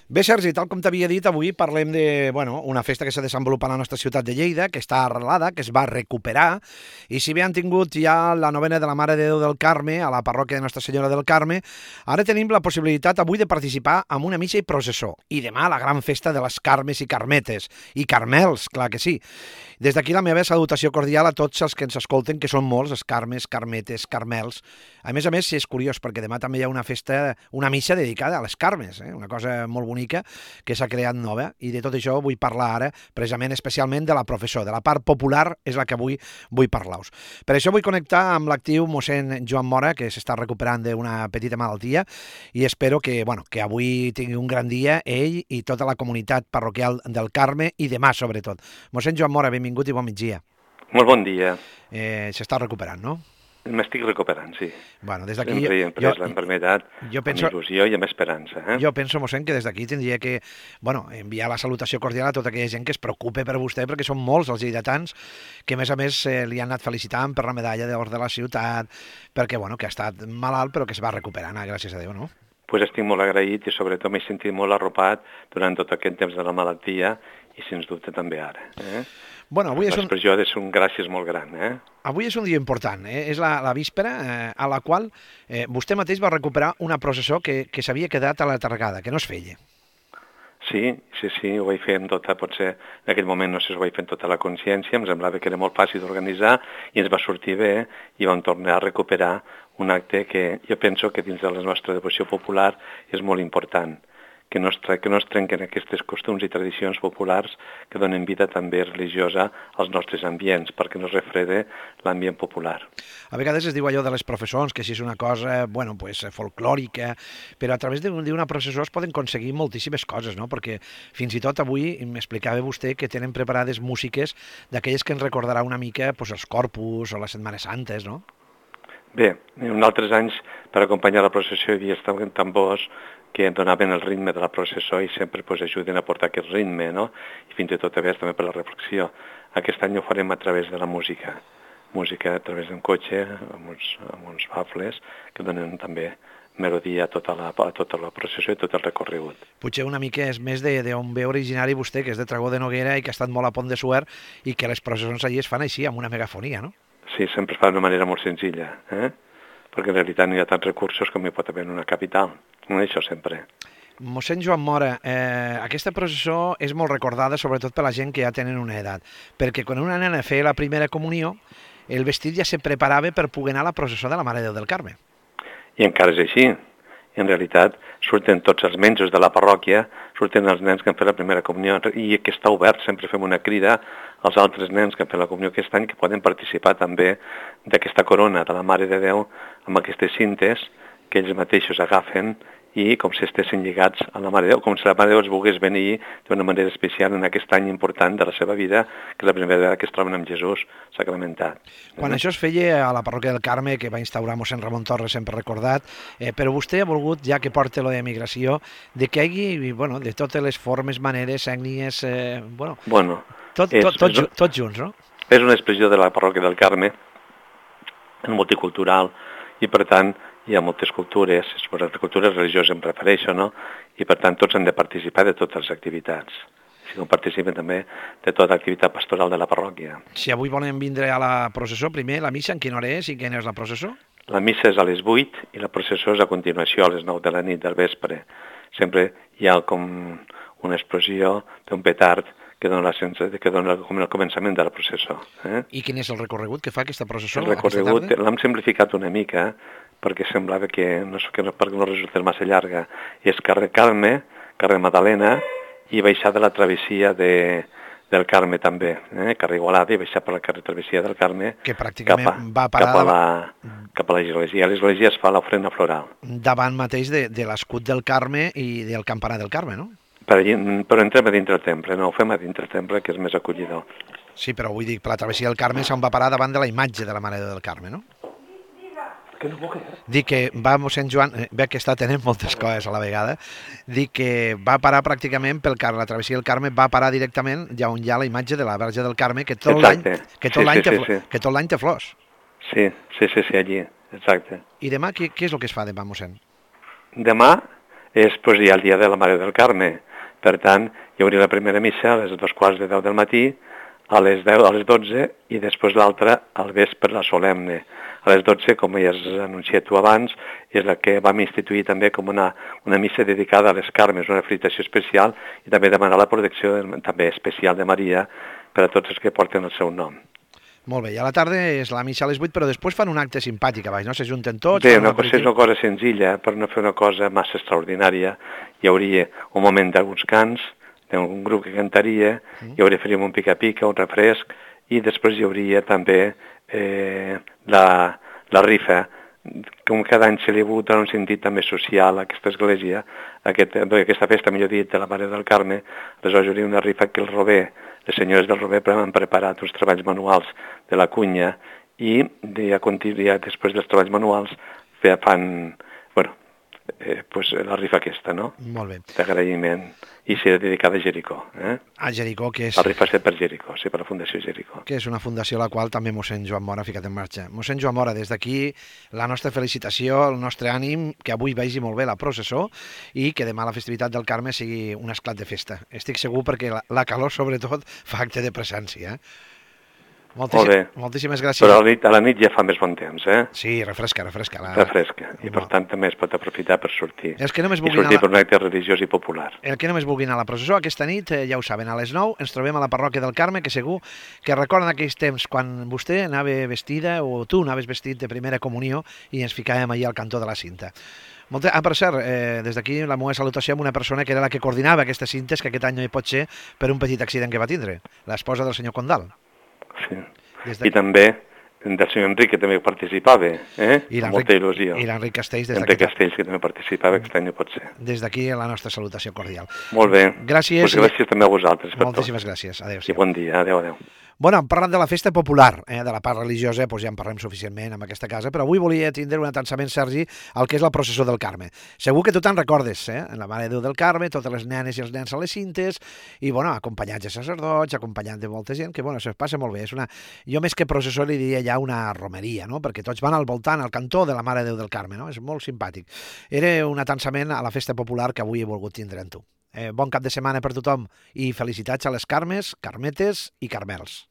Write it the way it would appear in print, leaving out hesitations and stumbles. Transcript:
Bé, Sergi, tal com t'havia dit, avui parlem de una festa que s'ha desenvolupat a la nostra ciutat de Lleida, que està arrelada, que es va recuperar, i si bé han tingut ja la novena de la Mare de Déu del Carme, a la parròquia de Nostra Senyora del Carme, ara tenim la possibilitat avui de participar en una missa i processó, i demà la gran festa de les Carmes i Carmetes, i Carmels, clar que sí. Des d'aquí la meva salutació cordial a tots els que ens escolten, que són molts, els Carmes, Carmetes, Carmels. A més, és curiós, perquè demà també hi ha una festa, una missa dedicada a les Carmes, una cosa molt bonica que s'ha creat nova, i de tot això vull parlar ara, precisament, especialment de la professó, de la part popular és la que avui vull parlar-vos. Per això vull connectar amb l'actiu mossèn Joan Mora, que s'està recuperant d'una petita malaltia, i espero que avui tingui un gran dia ell i tota la comunitat parroquial del Carme, i demà sobretot. Mossèn Joan Mora, benvingut i bon migdia. Molt bon dia. S'està recuperant, no? M'estic recuperant, sí. Bueno, des d'aquí... Sempre he pres l'enfermedad amb il·lusió i amb esperança. Jo penso, mossèn, que des d'aquí tindria que enviar la salutació cordial a tota aquella gent que es preocupe per vostè, perquè són molts els lleidatans que, a més, li han anat felicitant per la medalla d'or de la ciutat, perquè, que ha estat malalt, però que es va recuperant, gràcies a Déu, no? Pues estic molt agraït i, sobretot, m'he sentit molt arropat durant tot aquest temps de la malaltia i, sens dubte, també ara. Avui l'expressió ha de ser un gràcies molt gran. Avui és un dia important, és la víspera a la qual vostè mateix va recuperar una processó que s'havia quedat a la targada, que no es feia. Sí, ho vaig fer amb tota, potser en aquell moment no sé si ho vaig fer amb tota la consciència, em semblava que era molt fàcil d'organitzar i ens va sortir bé i vam tornar a recuperar un acte que jo penso que dins de la nostra devoció popular és molt important, que no es trenquen aquests costums i tradicions populars que donen vida també religiosa als nostres ambients, perquè no es refrede l'ambient popular. A vegades es diu allò de les professons, que si és una cosa, folclòrica, però a través d'una processó es poden aconseguir moltíssimes coses, no? Perquè fins i tot avui m'explicava vostè que tenen preparades músiques d'aquelles que ens recordarà una mica els Corpus o les Setmanes Santes, no? Bé, en altres anys, per acompanyar la processó hi havia tambors que donaven el ritme de la processó i sempre ajuden a portar aquest ritme, no? I fins i tot a vegades també per la reflexió. Aquest any ho farem a través de la música a través d'un cotxe, amb uns bafles, que donen també melodia a tota la processó i tot el recorregut. Potser una mica és més d'on ve originari vostè, que és de Tragó de Noguera i que ha estat molt a Pont de Suert, i que les processons allí es fan així, amb una megafonia, no? Sí, sempre es fa d'una manera molt senzilla, perquè en realitat no hi ha tants recursos com hi pot haver en una capital. No, això sempre. Mossèn Joan Mora, aquesta processó és molt recordada sobretot per la gent que ja tenen una edat, perquè quan una nena feia la primera comunió, el vestit ja se preparava per poder anar a la processó de la Mare de Déu del Carme. I encara és així. En realitat surten tots els menjos de la parròquia, surten els nens que han fet la primera comunió, i que està obert, sempre fem una crida als altres nens que han fet la comunió aquest any que poden participar també d'aquesta corona de la Mare de Déu amb aquestes cintes que ells mateixos agafen i com si estessin lligats a la Mare de Déu, com si la Mare de Déu els volgués venir d'una manera especial en aquest any important de la seva vida, que és la primera vegada que es troben amb Jesús sacramentat. Quan això es feia a la parròquia del Carme, que va instaurar mossèn Ramon Torres, sempre recordat, però vostè ha volgut, ja que porta lo d'emigració, de que hi hagi, de totes les formes, maneres, ètnies, tots junts, no? És una expressió de la parròquia del Carme, multicultural, i per tant hi ha moltes cultures, les cultures religioses em refereixo, no? I per tant tots han de participar de totes les activitats. Si no participen també de tota l'activitat pastoral de la parròquia. Si avui volen vindre a la processó, primer la missa, en quina hora és i quina és la processó? La missa és a les 8 i la processó és a continuació a les 9 de la nit del vespre. Sempre hi ha com una explosió d'un petard que dona com el començament de la processó. I quin és el recorregut que fa aquesta processó? El recorregut l'hem simplificat una mica perquè semblava que perquè no resultés massa llarga. És carrer Carme, carrer Madalena i baixar de la travessia del Carme també, carrer Igualada i baixar per la carrer Travessia del Carme que pràcticament va parar cap a l'església. A l'església es fa l'ofrena floral. Davant mateix de l'escut del Carme i del campanar del Carme, no? Però entrem a dintre el temple, no ho fem a dintre el temple, que és més acollidor. Sí, però vull dir, per la travessia del Carme se'n va parar davant de la imatge de la Mare de Déu del Carme, no? Dic que va mossèn Joan, ve que està tenint moltes coses a la vegada, dic que va parar pràcticament la travessia del Carme va parar directament ja on hi ha la imatge de la Verge del Carme, que tot l'any té flors. Sí, allí, exacte. I demà què és el que es fa demà, mossèn? Demà Després hi ha el dia de la Mare del Carme. Per tant, hi hauria la primera missa a les 2:15 del matí, a les 10, a les 12, i després l'altra al vespre, la solemne. A les 12, com ja has anunciat tu abans, és la que vam instituir també com una missa dedicada a les Carmes, una felicitació especial, i també demanar la protecció també especial de Maria per a tots els que porten el seu nom. Molt bé, i a la tarda és la missa a les 8, però després fan un acte simpàtic a baix, no? S'ajunten tots... Bé, és una cosa senzilla, per no fer una cosa massa extraordinària. Hi hauria un moment d'alguns cants, d'un grup que cantaria, hi hauria faríem un pica-pica, un refresc, i després hi hauria també la rifa. Com cada any se li ha hagut un sentit també social a aquesta església, aquesta festa, millor dit, de la Mare del Carme, aleshores hi hauria una rifa que les senyores del Rober han preparat uns treballs manuals de la cunya i després dels treballs manuals fan la rifa aquesta, no? Molt bé. D'agraïment. I serà dedicada a Jericó. A Jericó, que és... La rifa és per Jericó, sí, per la Fundació Jericó. Que és una fundació a la qual també mossèn Joan Mora ha ficat en marxa. Mossèn Joan Mora, des d'aquí la nostra felicitació, el nostre ànim, que avui vagi molt bé la processó i que demà la festivitat del Carme sigui un esclat de festa. Estic segur perquè la calor, sobretot, fa acte de presència. Moltíssimes gràcies. Però a la nit ja fa més bon temps, Sí, refresca. Refresca, i per tant també es pot aprofitar per sortir. Per un acte religiós i popular. El que només vulguin a la processó, aquesta nit, ja ho saben, a les 9 ens trobem a la parròquia del Carme, que segur que recorden aquells temps quan vostè anava vestida, o tu anaves vestit de primera comunió, i ens ficàvem allà al cantó de la cinta. Per cert, des d'aquí la meva salutació amb una persona que era la que coordinava aquestes cintes, que aquest any no hi pot ser per un petit accident que va tindre, l'esposa del senyor Condal. Sí. I també del senyor Enric, que també participava, amb molta il·lusió. I l'Enric Castells. Enric Castells, que també participava, aquest any no pot ser. Des d'aquí la nostra salutació cordial. Molt bé. Gràcies. Pues gràcies també a vosaltres. Moltíssimes gràcies. Adéu. I bon dia. Adéu. Bueno, hem parlat de la festa popular, de la part religiosa, doncs ja en parlem suficientment en aquesta casa, però avui volia tindre un atansament, Sergi, al que és la processó del Carme. Segur que tu te'n recordes, en la Mare de Déu del Carme, totes les nenes i els nens a les cintes, i, acompanyats de sacerdots, acompanyats de molta gent, que, se passa molt bé. Jo més que processó li diria ja una romeria, no? Perquè tots van al voltant, al cantó de la Mare de Déu del Carme, no? És molt simpàtic. Era un atansament a la festa popular que avui he volgut tindre amb tu. Bon cap de setmana per tothom i felicitats a les Carmes, Carmetes i Carmels.